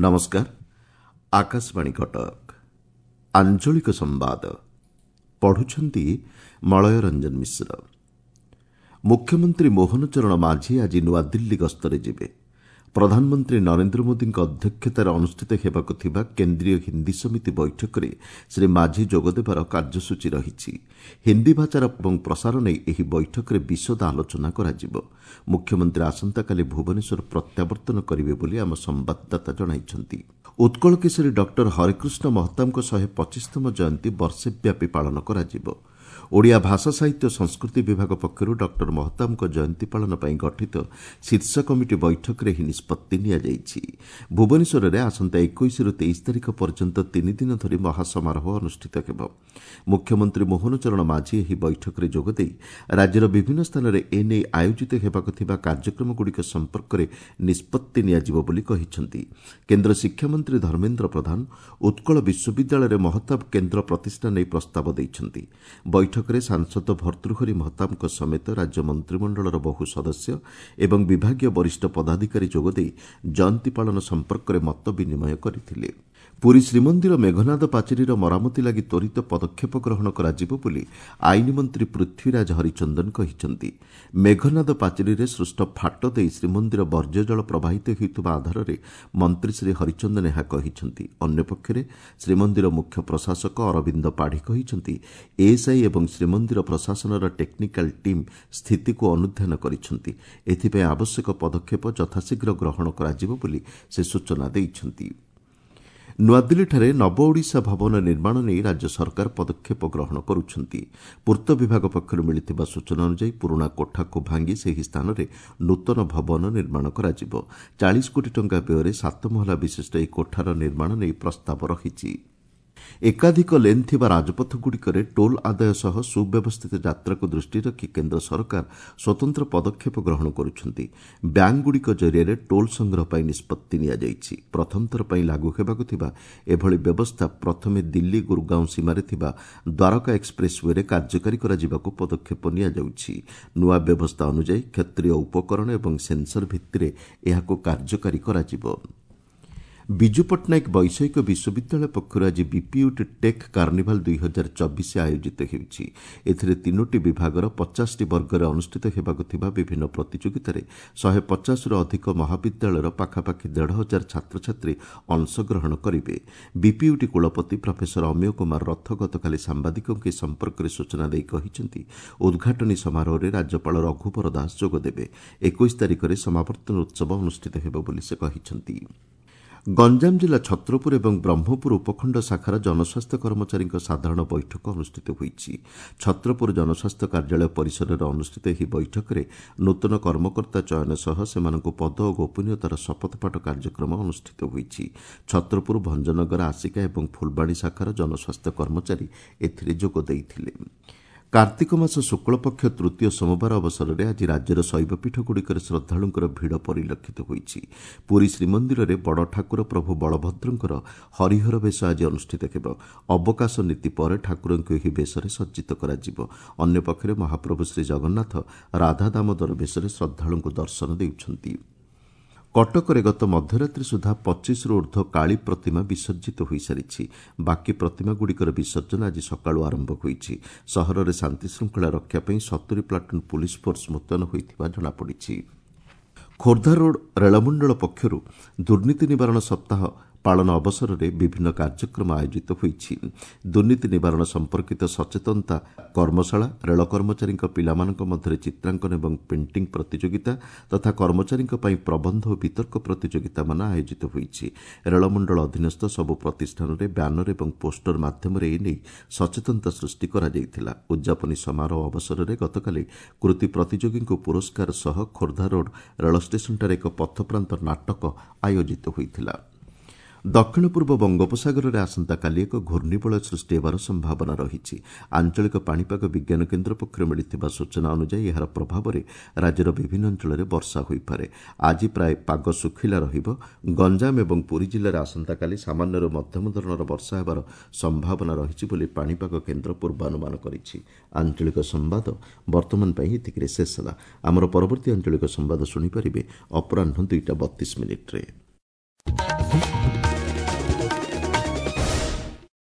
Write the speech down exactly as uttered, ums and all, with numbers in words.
ନମସ୍କାର ଆକାଶବାଣୀ କଟକ ଆଞ୍ଚଳିକ ସମ୍ବାଦ ପଢୁଛନ୍ତି ମଳୟ ରଞ୍ଜନ ମିଶ୍ର ମୁଖ୍ୟମନ୍ତ୍ରୀ ମୋହନ ଚରଣ ମାଝୀ ଆଜି ନୂଆଦିଲ୍ଲୀ ଗସ୍ତରେ ଯିବେ ପ୍ରଧାନମନ୍ତ୍ରୀ ନରେନ୍ଦ୍ର ମୋଦିଙ୍କ ଅଧ୍ୟକ୍ଷତାରେ ଅନୁଷ୍ଠିତ ହେବାକୁ ଥିବା କେନ୍ଦ୍ରୀୟ ହିନ୍ଦୀ ସମିତି ବୈଠକରେ ଶ୍ରୀ ମାଝୀ ଯୋଗଦେବାର କାର୍ଯ୍ୟସୂଚୀ ରହିଛି ହିନ୍ଦୀ ଭାଷାର ଏବଂ ପ୍ରସାର ନେଇ ଏହି ବୈଠକରେ ବିଶଦ ଆଲୋଚନା କରାଯିବ ମୁଖ୍ୟମନ୍ତ୍ରୀ ଆସନ୍ତାକାଲି ଭୁବନେଶ୍ୱର ପ୍ରତ୍ୟାବର୍ତ୍ତନ କରିବେ ବୋଲି ଆମ ସମ୍ବାଦଦାତା ଜଣାଇଛନ୍ତି ଉତ୍କଳ କେଶରୀ ଡକ୍ଟର ହରେକୃଷ୍ଣ ମହତାବଙ୍କ ଶହେ ପଚିଶତମ ଜୟନ୍ତୀ ବର୍ଷେବ୍ୟାପୀ ପାଳନ କରାଯିବ ଓଡ଼ିଆ ଭାଷା ସାହିତ୍ୟ ଓ ସଂସ୍କୃତି ବିଭାଗ ପକ୍ଷରୁ ଡକ୍ଟର ମହତାବଙ୍କ ଜୟନ୍ତୀ ପାଳନ ପାଇଁ ଗଠିତ ଶୀର୍ଷ କମିଟି ବୈଠକରେ ଏହି ନିଷ୍ପତ୍ତି ନିଆଯାଇଛି ଭୁବନେଶ୍ୱରରେ ଆସନ୍ତା ଏକୋଇଶରୁ ତେଇଶ ତାରିଖ ପର୍ଯ୍ୟନ୍ତ ତିନିଦିନ ଧରି ମହାସମାରୋହ ଅନୁଷ୍ଠିତ ହେବ ମୁଖ୍ୟମନ୍ତ୍ରୀ ମୋହନ ଚରଣ ମାଝୀ ଏହି ବୈଠକରେ ଯୋଗଦେଇ ରାଜ୍ୟର ବିଭିନ୍ନ ସ୍ଥାନରେ ଏନେଇ ଆୟୋଜିତ ହେବାକୁ ଥିବା କାର୍ଯ୍ୟକ୍ରମଗୁଡ଼ିକ ସମ୍ପର୍କରେ ନିଷ୍ପତ୍ତି ନିଆଯିବ ବୋଲି କହିଛନ୍ତି କେନ୍ଦ୍ର ଶିକ୍ଷାମନ୍ତ୍ରୀ ଧର୍ମେନ୍ଦ୍ର ପ୍ରଧାନ ଉତ୍କଳ ବିଶ୍ୱବିଦ୍ୟାଳୟରେ ମହତାବ କେନ୍ଦ୍ର ପ୍ରତିଷ୍ଠା ନେଇ ପ୍ରସ୍ତାବ ଦେଇଛନ୍ତି ବୈଠକରେ ସାଂସଦ ଭର୍ତ୍ତୃହରି ମହତାବଙ୍କ ସମେତ ରାଜ୍ୟ ମନ୍ତ୍ରିମଣ୍ଡଳର ବହୁ ସଦସ୍ୟ ଏବଂ ବିଭାଗୀୟ ବରିଷ୍ଠ ପଦାଧିକାରୀ ଯୋଗଦେଇ ଜୟନ୍ତୀ ପାଳନ ସମ୍ପର୍କରେ ମତ ବିନିମୟ କରିଥିଲେ ପୁରୀ ଶ୍ରୀମନ୍ଦିର ମେଘନାଦ ପାଚେରୀର ମରାମତି ଲାଗି ତ୍ୱରିତ ପଦକ୍ଷେପ ଗ୍ରହଣ କରାଯିବ ବୋଲି ଆଇନ ମନ୍ତ୍ରୀ ପୃଥ୍ୱୀରାଜ ହରିଚନ୍ଦନ କହିଛନ୍ତି ମେଘନାଦ ପାଚେରୀରେ ସୃଷ୍ଟ ଫାଟ ଦେଇ ଶ୍ରୀମନ୍ଦିର ବର୍ଜ୍ୟଜଳ ପ୍ରବାହିତ ହେଉଥିବା ଆଧାରରେ ମନ୍ତ୍ରୀ ଶ୍ରୀ ହରିଚନ୍ଦନ ଏହା କହିଛନ୍ତି ଅନ୍ୟପକ୍ଷରେ ଶ୍ରୀମନ୍ଦିର ମୁଖ୍ୟ ପ୍ରଶାସକ ଅରବିନ୍ଦ ପାଢ଼ୀ କହିଛନ୍ତି ଏଏସ୍ଆଇ ଏବଂ ଶ୍ରୀମନ୍ଦିର ପ୍ରଶାସନର ଟେକ୍ନିକାଲ ଟିମ୍ ସ୍ଥିତିକୁ ଅନୁଧ୍ୟାନ କରିଛନ୍ତି ଏଥିପାଇଁ ଆବଶ୍ୟକ ପଦକ୍ଷେପ ଯଥାଶୀଘ୍ର ଗ୍ରହଣ କରାଯିବ ବୋଲି ସେ ସୂଚନା ଦେଇଛନ୍ତି ନୂଆଦିଲ୍ଲୀଠାରେ ନବ ଓଡ଼ିଶା ଭବନ ନିର୍ମାଣ ନେଇ ରାଜ୍ୟ ସରକାର ପଦକ୍ଷେପ ଗ୍ରହଣ କରୁଛନ୍ତି ପୂର୍ତ୍ତ ବିଭାଗ ପକ୍ଷରୁ ମିଳିଥିବା ସୂଚନା ଅନୁଯାୟୀ ପୁରୁଣା କୋଠାକୁ ଭାଙ୍ଗି ସେହି ସ୍ଥାନରେ ନୂତନ ଭବନ ନିର୍ମାଣ କରାଯିବ ଚାଳିଶ କୋଟି ଟଙ୍କା ବ୍ୟୟରେ ସାତ ମହଲା ବିଶିଷ୍ଟ ଏହି କୋଠାର ନିର୍ମାଣ ନେଇ ପ୍ରସ୍ତାବ ରହିଛି ଏକାଧିକ ଲେନ୍ ଥିବା ରାଜପଥଗୁଡ଼ିକରେ ଟୋଲ୍ ଆଦାୟ ସହ ସୁବ୍ୟବସ୍ଥିତ ଯାତ୍ରାକୁ ଦୃଷ୍ଟିରେ ରଖି କେନ୍ଦ୍ର ସରକାର ସ୍ୱତନ୍ତ୍ର ପଦକ୍ଷେପ ଗ୍ରହଣ କରୁଛନ୍ତି ବ୍ୟାଙ୍କଗୁଡ଼ିକ ଜରିଆରେ ଟୋଲ୍ ସଂଗ୍ରହ ପାଇଁ ନିଷ୍ପତ୍ତି ନିଆଯାଇଛି ପ୍ରଥମଥର ପାଇଁ ଲାଗୁ ହେବାକୁ ଥିବା ଏଭଳି ବ୍ୟବସ୍ଥା ପ୍ରଥମେ ଦିଲ୍ଲୀ ଗୁରୁଗାଓଁ ସୀମାରେ ଥିବା ଦ୍ୱାରକା ଏକ୍ସପ୍ରେସ୍ ୱେରେ କାର୍ଯ୍ୟକାରୀ କରାଯିବାକୁ ପଦକ୍ଷେପ ନିଆଯାଉଛି ନୂଆ ବ୍ୟବସ୍ଥା ଅନୁଯାୟୀ କ୍ଷେତ୍ରୀୟ ଉପକରଣ ଏବଂ ସେନ୍ସର ଭିତ୍ତିରେ ଏହାକୁ କାର୍ଯ୍ୟକାରୀ କରାଯିବ ବିଜୁ ପଟ୍ଟନାୟକ ବୈଷୟିକ ବିଶ୍ୱବିଦ୍ୟାଳୟ ପକ୍ଷରୁ ଆଜି ବିପିୟୁଟି ଟେକ୍ କାର୍ଣ୍ଣିଭାଲ ଦୁଇ ହଜାର ଚବିଶ ଆୟୋଜିତ ହେଉଛି ଏଥିରେ ତିନୋଟି ବିଭାଗର ପଚାଶଟି ବର୍ଗରେ ଅନୁଷ୍ଠିତ ହେବାକୁ ଥିବା ବିଭିନ୍ନ ପ୍ରତିଯୋଗିତାରେ ଶହେ ପଚାଶରୁ ଅଧିକ ମହାବିଦ୍ୟାଳୟର ପାଖାପାଖି ଦେଢ଼ ହଜାର ଛାତ୍ରଛାତ୍ରୀ ଅଂଶଗ୍ରହଣ କରିବେ ବିପିୟୁଟି କୁଳପତି ପ୍ରଫେସର ଅମୀୟ କୁମାର ରଥ ଗତକାଲି ସାମ୍ବାଦିକଙ୍କୁ ଏ ସମ୍ପର୍କରେ ସୂଚନା ଦେଇ କହିଛନ୍ତି ଉଦ୍ଘାଟନୀ ସମାରୋହରେ ରାଜ୍ୟପାଳ ରଘୁବର ଦାସ ଯୋଗଦେବେ ଏକୋଇଶ ତାରିଖରେ ସମାବର୍ତ୍ତନ ଉତ୍ସବ ଅନୁଷ୍ଠିତ ହେବ ବୋଲି ସେ କହିଛନ୍ତି ଗଞ୍ଜାମ ଜିଲ୍ଲା ଛତ୍ରପୁର ଏବଂ ବ୍ରହ୍ମପୁର ଉପଖଣ୍ଡ ଶାଖାର ଜନସ୍ୱାସ୍ଥ୍ୟ କର୍ମଚାରୀଙ୍କ ସାଧାରଣ ବୈଠକ ଅନୁଷ୍ଠିତ ହୋଇଛି ଛତ୍ରପୁର ଜନସ୍ୱାସ୍ଥ୍ୟ କାର୍ଯ୍ୟାଳୟ ପରିସରରେ ଅନୁଷ୍ଠିତ ଏହି ବୈଠକରେ ନୂତନ କର୍ମକର୍ତ୍ତା ଚୟନ ସହ ସେମାନଙ୍କୁ ପଦ ଓ ଗୋପନୀୟତାର ଶପଥପାଠ କାର୍ଯ୍ୟକ୍ରମ ଅନୁଷ୍ଠିତ ହୋଇଛି ଛତ୍ରପୁର ଭଞ୍ଜନଗର ଆସିକା ଏବଂ ଫୁଲବାଣୀ ଶାଖାର ଜନସ୍ୱାସ୍ଥ୍ୟ କର୍ମଚାରୀ ଏଥିରେ ଯୋଗ ଦେଇଥିଲେ କାର୍ତ୍ତିକ ମାସ ଶୁକ୍ଳପକ୍ଷ ତୃତୀୟ ସୋମବାର ଅବସରରେ ଆଜି ରାଜ୍ୟର ଶୈବପୀଠଗୁଡ଼ିକରେ ଶ୍ରଦ୍ଧାଳୁଙ୍କର ଭିଡ଼ ପରିଲକ୍ଷିତ ହୋଇଛି ପୁରୀ ଶ୍ରୀମନ୍ଦିରରେ ବଡ଼ ଠାକୁର ପ୍ରଭୁ ବଳଭଦ୍ରଙ୍କର ହରିହର ବେଶ ଆଜି ଅନୁଷ୍ଠିତ ହେବ ଅବକାଶ ନୀତି ପରେ ଠାକୁରଙ୍କୁ ଏହି ବେଶରେ ସଜ୍ଜିତ କରାଯିବ ଅନ୍ୟପକ୍ଷରେ ମହାପ୍ରଭୁ ଶ୍ରୀଜଗନ୍ନାଥ ରାଧା ଦାମୋଦର ବେଶରେ ଶ୍ରଦ୍ଧାଳୁଙ୍କୁ ଦର୍ଶନ ଦେଉଛନ୍ତି କଟକରେ ଗତ ମଧ୍ୟରାତ୍ରି ସୁଦ୍ଧା ପଚିଶରୁ ଊର୍ଦ୍ଧ୍ୱ କାଳୀ ପ୍ରତିମା ବିସର୍ଜିତ ହୋଇସାରିଛି ବାକି ପ୍ରତିମାଗୁଡ଼ିକର ବିସର୍ଜନ ଆଜି ସକାଳୁ ଆରମ୍ଭ ହୋଇଛି ସହରରେ ଶାନ୍ତିଶୃଙ୍ଖଳା ରକ୍ଷା ପାଇଁ ସତୁରି ପ୍ଲାଟୁନ୍ ପୁଲିସ୍ ଫୋର୍ସ ମୁତୟନ ହୋଇଥିବା ଜଣାପଡ଼ିଛି ଖୋର୍ଦ୍ଧା ରୋଡ୍ ରେଳମଣ୍ଡଳ ପକ୍ଷରୁ ଦୁର୍ନୀତି ନିବାରଣ ସପ୍ତାହ ପାଳନ ଅବସରରେ ବିଭିନ୍ନ କାର୍ଯ୍ୟକ୍ରମ ଆୟୋଜିତ ହୋଇଛି ଦୁର୍ନୀତି ନିବାରଣ ସମ୍ପର୍କିତ ସଚେତନତା କର୍ମଶାଳା ରେଳ କର୍ମଚାରୀଙ୍କ ପିଲାମାନଙ୍କ ମଧ୍ୟରେ ଚିତ୍ରାଙ୍କନ ଏବଂ ପେଣ୍ଟିଂ ପ୍ରତିଯୋଗିତା ତଥା କର୍ମଚାରୀଙ୍କ ପାଇଁ ପ୍ରବନ୍ଧ ଓ ବିତର୍କ ପ୍ରତିଯୋଗିତାମାନ ଆୟୋଜିତ ହୋଇଛି ରେଳମଣ୍ଡଳ ଅଧୀନସ୍ଥ ସବୁ ପ୍ରତିଷ୍ଠାନରେ ବ୍ୟାନର ଏବଂ ପୋଷ୍ଟର ମାଧ୍ୟମରେ ଏନେଇ ସଚେତନତା ସୃଷ୍ଟି କରାଯାଇଥିଲା ଉଦ୍ଯାପନୀ ସମାରୋହ ଅବସରରେ ଗତକାଲି କୃତି ପ୍ରତିଯୋଗୀଙ୍କୁ ପୁରସ୍କାର ସହ ଖୋର୍ଦ୍ଧା ରୋଡ୍ ରେଳ ଷ୍ଟେସନଠାରେ ଏକ ପଥପ୍ରାନ୍ତ ନାଟକ ଆୟୋଜିତ ହୋଇଥିଲା ଦକ୍ଷିଣ ପୂର୍ବ ବଙ୍ଗୋପସାଗରରେ ଆସନ୍ତାକାଲି ଏକ ଘୂର୍ଣ୍ଣିବଳୟ ସୃଷ୍ଟି ହେବାର ସମ୍ଭାବନା ରହିଛି ଆଞ୍ଚଳିକ ପାଣିପାଗ ବିଜ୍ଞାନ କେନ୍ଦ୍ର ପକ୍ଷରୁ ମିଳିଥିବା ସୂଚନା ଅନୁଯାୟୀ ଏହାର ପ୍ରଭାବରେ ରାଜ୍ୟର ବିଭିନ୍ନ ଅଞ୍ଚଳରେ ବର୍ଷା ହୋଇପାରେ ଆଜି ପ୍ରାୟ ପାଗ ଶୁଖିଲା ରହିବ ଗଞ୍ଜାମ ଏବଂ ପୁରୀ ଜିଲ୍ଲାରେ ଆସନ୍ତାକାଲି ସାମାନ୍ୟରୁ ମଧ୍ୟମ ଧରଣର ବର୍ଷା ହେବାର ସମ୍ଭାବନା ରହିଛି ବୋଲି ପାଣିପାଗ କେନ୍ଦ୍ର ପୂର୍ବାନୁମାନ କରିଛି ଆଞ୍ଚଳିକ ସମ୍ବାଦ ବର୍ତ୍ତମାନ ପାଇଁ ଏତିକିରେ ଶେଷ ହେଲା ଆମର ପରବର୍ତ୍ତୀ ଆଞ୍ଚଳିକ ସମ୍ବାଦ ଶୁଣିପାରିବେ ଅପରାହ୍ନ ଦୁଇଟା ବତିଶ ମିନିଟ୍ରେ